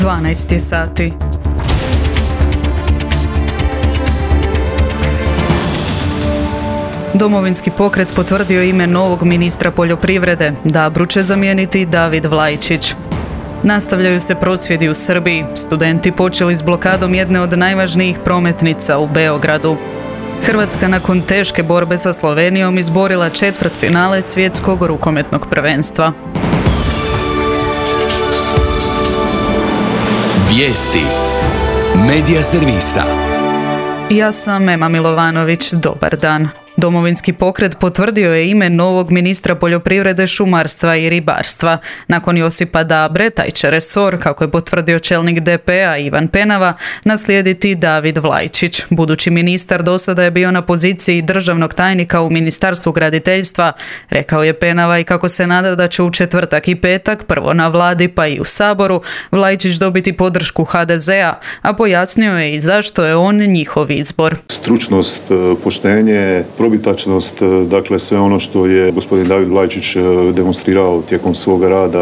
12 sati. Domovinski pokret potvrdio ime novog ministra poljoprivrede. Dabru će zamijeniti David Vlajčić. Nastavljaju se prosvjedi u Srbiji. Studenti počeli s blokadom jedne od najvažnijih prometnica u Beogradu. Hrvatska nakon teške borbe sa Slovenijom izborila četvrtfinale svjetskog rukometnog prvenstva. Vijesti Medija servisa. Ja sam Ema Milovanović, dobar dan. Domovinski pokret potvrdio je ime novog ministra poljoprivrede, šumarstva i ribarstva. Nakon Josipa Dabre, taj će resor, kako je potvrdio čelnik DP-a Ivan Penava, naslijediti David Vlajčić. Budući ministar do sada je bio na poziciji državnog tajnika u Ministarstvu graditeljstva. Rekao je Penava i kako se nada da će u četvrtak i petak, prvo na vladi pa i u Saboru, Vlajčić dobiti podršku HDZ-a, a pojasnio je i zašto je on njihov izbor. Stručnost, poštenje, probitačnost, dakle sve ono što je gospodin David Vlajčić demonstrirao tijekom svoga rada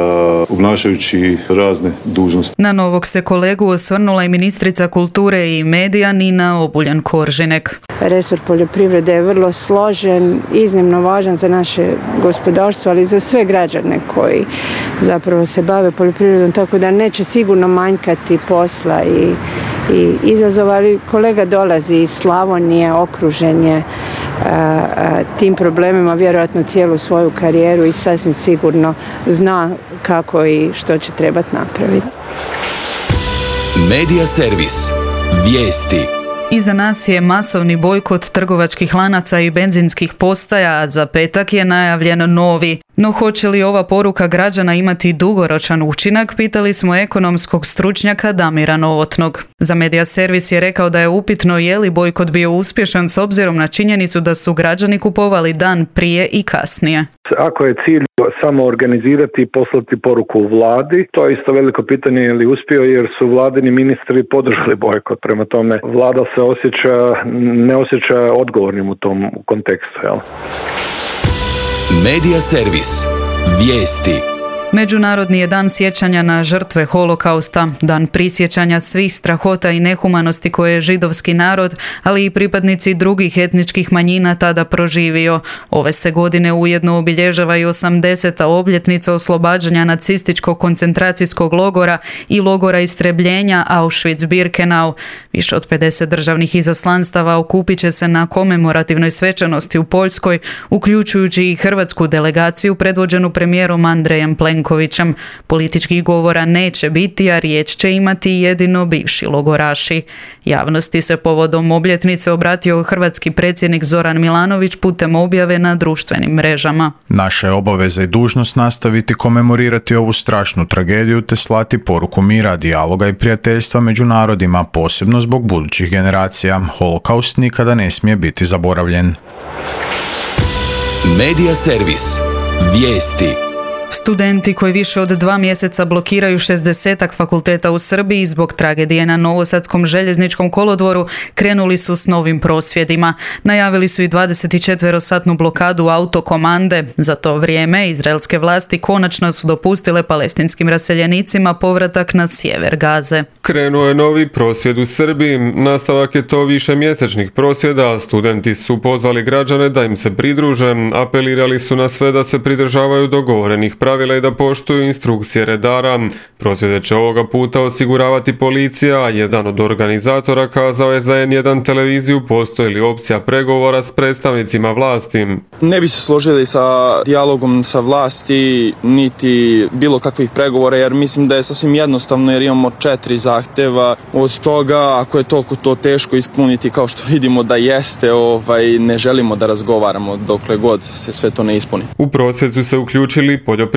obnašajući razne dužnosti. Na novog se kolegu osvrnula i ministrica kulture i medija Nina Obuljen-Koržinek. Resor poljoprivrede je vrlo složen, iznimno važan za naše gospodarstvo, ali i za sve građane koji zapravo se bave poljoprivredom, tako da neće sigurno manjkati posla i izazova, ali kolega dolazi iz Slavonije, okružen je tim problemima vjerojatno cijelu svoju karijeru i sasvim sigurno zna kako i što će trebati napraviti. Medija servis. Vijesti. Iza nas je masovni bojkot trgovačkih lanaca i benzinskih postaja, a za petak je najavljen novi. No hoće li ova poruka građana imati dugoročan učinak, pitali smo ekonomskog stručnjaka Damira Novotnog. Za Medija servis je rekao da je upitno je li bojkot bio uspješan s obzirom na činjenicu da su građani kupovali dan prije i kasnije. Ako je cilj samo organizirati i poslati poruku u vladi, to je isto veliko pitanje je li uspio jer su vladini ministri podržali bojkot. Prema tome, vlada se ne osjeća odgovornim u tom kontekstu. Jel? Medija servis. Vijesti. Međunarodni je dan sjećanja na žrtve holokausta, dan prisjećanja svih strahota i nehumanosti koje je židovski narod, ali i pripadnici drugih etničkih manjina tada proživio. Ove se godine ujedno obilježava i 80. obljetnica oslobađanja nacističkog koncentracijskog logora i logora istrebljenja Auschwitz-Birkenau. Više od 50 državnih izaslanstava okupit će se na komemorativnoj svečanosti u Poljskoj, uključujući i hrvatsku delegaciju predvođenu premijerom Andrejem Plenkovićem. Političkih govora neće biti, a riječ će imati jedino bivši logoraši. Javnosti se povodom obljetnice obratio hrvatski predsjednik Zoran Milanović putem objave na društvenim mrežama. Naša je obaveza i dužnost nastaviti komemorirati ovu strašnu tragediju te slati poruku mira, dijaloga i prijateljstva među narodima, posebno zbog budućih generacija. Holokaust nikada ne smije biti zaboravljen. Medija servis. Vijesti. Studenti koji više od 2 mjeseca blokiraju 60 fakulteta u Srbiji zbog tragedije na Novosadskom željezničkom kolodvoru krenuli su s novim prosvjedima. Najavili su i 24-satnu blokadu autokomande. Za to vrijeme izraelske vlasti konačno su dopustile palestinskim raseljenicima povratak na sjever Gaze. Krenuo je novi prosvjed u Srbiji. Nastavak je to višemjesečnih prosvjeda. Studenti su pozvali građane da im se pridruže. Apelirali su na sve da se pridržavaju dogovorenih pravila i da poštuju instrukcije redara. Prosvjede će ovoga puta osiguravati policija, a jedan od organizatora kazao je za N1 televiziju postoji li opcija pregovora s predstavnicima vlasti. Ne bi se složili sa dijalogom sa vlasti, niti bilo kakvih pregovora, jer mislim da je sasvim jednostavno jer imamo 4 zahtjeva. Od toga, ako je toliko to teško ispuniti kao što vidimo da jeste, ne želimo da razgovaramo dokle god se sve to ne ispuni. U prosvjed su se uključili poljoprivrednici.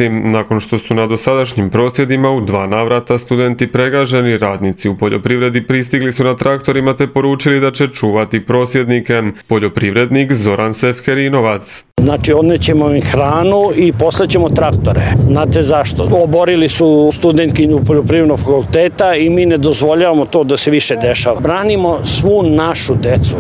Nakon što su na dosadašnjim prosvjedima u 2 navrata studenti pregaženi, radnici u poljoprivredi pristigli su na traktorima te poručili da će čuvati prosvjednike. Poljoprivrednik Zoran Sefkerinovac. Znači, odnećemo im hranu i poslaćemo traktore. Znate zašto? Oborili su studentkinju poljoprivrednog fakulteta i mi ne dozvoljavamo to da se više dešava. Branimo svu našu decu,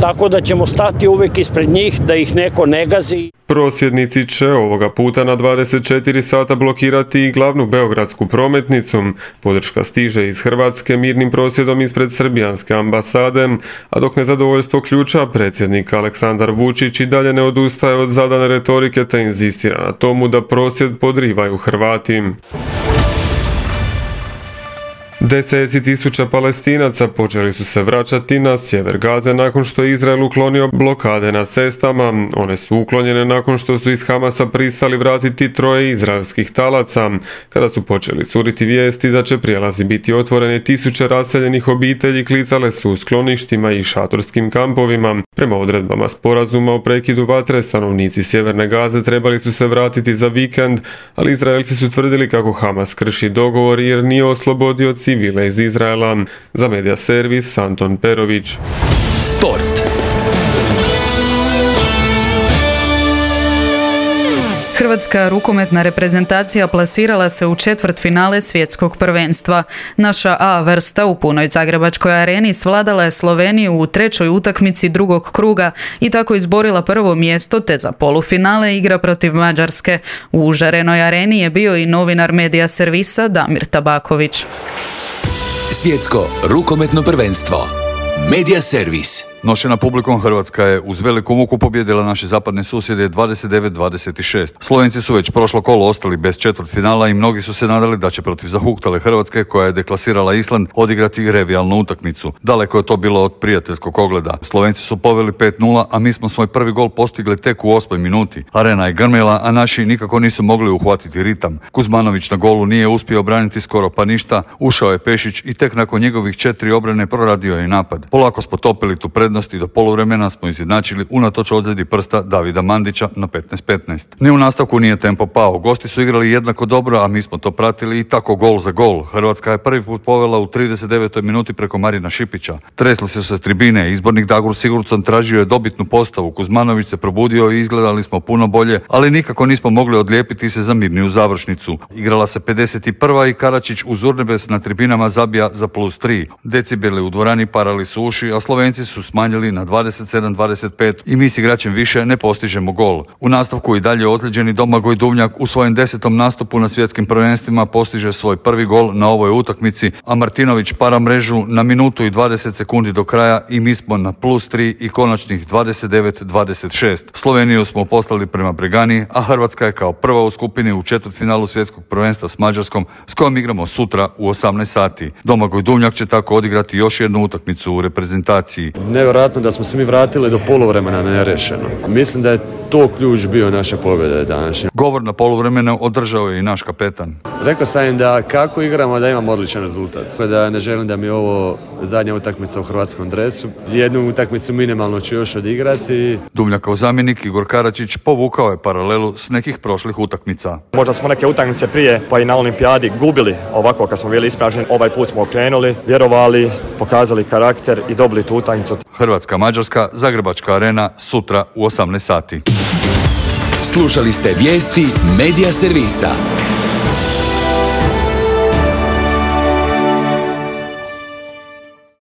tako da ćemo stati uvijek ispred njih, da ih neko ne gazi. Prosvjednici će ovoga puta na 24 sata blokirati i glavnu beogradsku prometnicu. Podrška stiže iz Hrvatske mirnim prosvjedom ispred srbijanske ambasade, a dok nezadovoljstvo ključa, predsjednik Aleksandar Vučić i dalje ne odustaje od zadane retorike te inzistira na tomu da prosvjed podrivaju Hrvati. Deseci tisuća Palestinaca počeli su se vraćati na sjever Gaze nakon što je Izrael uklonio blokade na cestama. One su uklonjene nakon što su iz Hamasa pristali vratiti 3 izraelskih talaca. Kada su počeli curiti vijesti da će prijelazi biti otvoreni, tisuće raseljenih obitelji klicale su u skloništima i šatorskim kampovima. Prema odredbama sporazuma o prekidu vatre, stanovnici sjeverne Gaze trebali su se vratiti za vikend, ali Izraelci su tvrdili kako Hamas krši dogovor jer nije oslobodio civile iz Izraela. Za Medija servis Anton Perović. Sport. Hrvatska rukometna reprezentacija plasirala se u četvrtfinale svjetskog prvenstva. Naša A vrsta u punoj Zagrebačkoj areni svladala je Sloveniju u 3. utakmici drugog kruga i tako izborila prvo mjesto, te za polufinale igra protiv Mađarske. U užarenoj areni je bio i novinar Medija servisa Damir Tabaković. Svjetsko rukometno prvenstvo. Medija servis. Nošena publikom, Hrvatska je uz veliku muku pobijedila naše zapadne susjede 29-26. Slovenci su već prošlo kolo ostali bez četvrtfinala i mnogi su se nadali da će protiv zahuktale Hrvatske, koja je deklasirala Island, odigrati revijalnu utakmicu. Daleko je to bilo od prijateljskog ogleda. Slovenci su poveli 5-0, a mi smo svoj prvi gol postigli tek u 8. minuti. Arena je grmela, a naši nikako nisu mogli uhvatiti ritam. Kuzmanović na golu nije uspio obraniti skoro pa ništa, ušao je Pešić i tek nakon njegovih 4 obrane proradio je napad. Polako smo topili tu prednost i do poluvremena smo izjednačili unatoč ozljedi prsta Davida Mandića na 15-15. Ni u nastavku nije tempo pao. Gosti su igrali jednako dobro, a mi smo to pratili i tako gol za gol. Hrvatska je prvi put povela u 39. minuti preko Marina Šipića. Tresli su se tribine, izbornik Dagur Sigurdsson tražio je dobitnu postavu. Kuzmanović se probudio i izgledali smo puno bolje, ali nikako nismo mogli odlijepiti se za mirniju završnicu. Igrala se 51. i Karačić uz urnebes na tribinama zabija za +3. Decibeli u dvorani parali su uši, a Slovenci su smanjili na 27-25 i mi s igračem više ne postižemo gol. U nastavku i dalje ozlijeđeni Domagoj Duvnjak u svojem 10. nastupu na svjetskim prvenstvima postiže svoj prvi gol na ovoj utakmici, a Martinović para mrežu na minutu i 20 sekundi do kraja i mi smo na +3 i konačnih 29-26. Sloveniju smo poslali prema Bregani, a Hrvatska je kao prva u skupini u četvrtfinalu svjetskog prvenstva s Mađarskom, s kojom igramo sutra u 18 sati. Domagoj Duvnjak će tako odigrati još jednu utakmicu u reprezentaciji. Nevjerojatno da smo se mi vratili do poluvremena nerešeno. Mislim da je to ključ bio naše pobjede današnje. Govor na poluvremenu održao je i naš kapetan. Rekao sam im da kako igramo da imamo odličan rezultat. Da ne želim da mi je ovo zadnja utakmica u hrvatskom dresu. Jednu utakmicu minimalno ću još odigrati. Duvnjakov zamjenik Igor Karačić povukao je paralelu s nekih prošlih utakmica. Možda smo neke utakmice prije pa i na olimpijadi gubili ovako kad smo bili ispraženi. Ovaj put smo okrenuli, vjerovali, pokazali karakter i dobili tu utakmicu. Hrvatska-Mađarska, Zagrebačka arena, sutra u 18 sati. Slušali ste vijesti Medija servisa.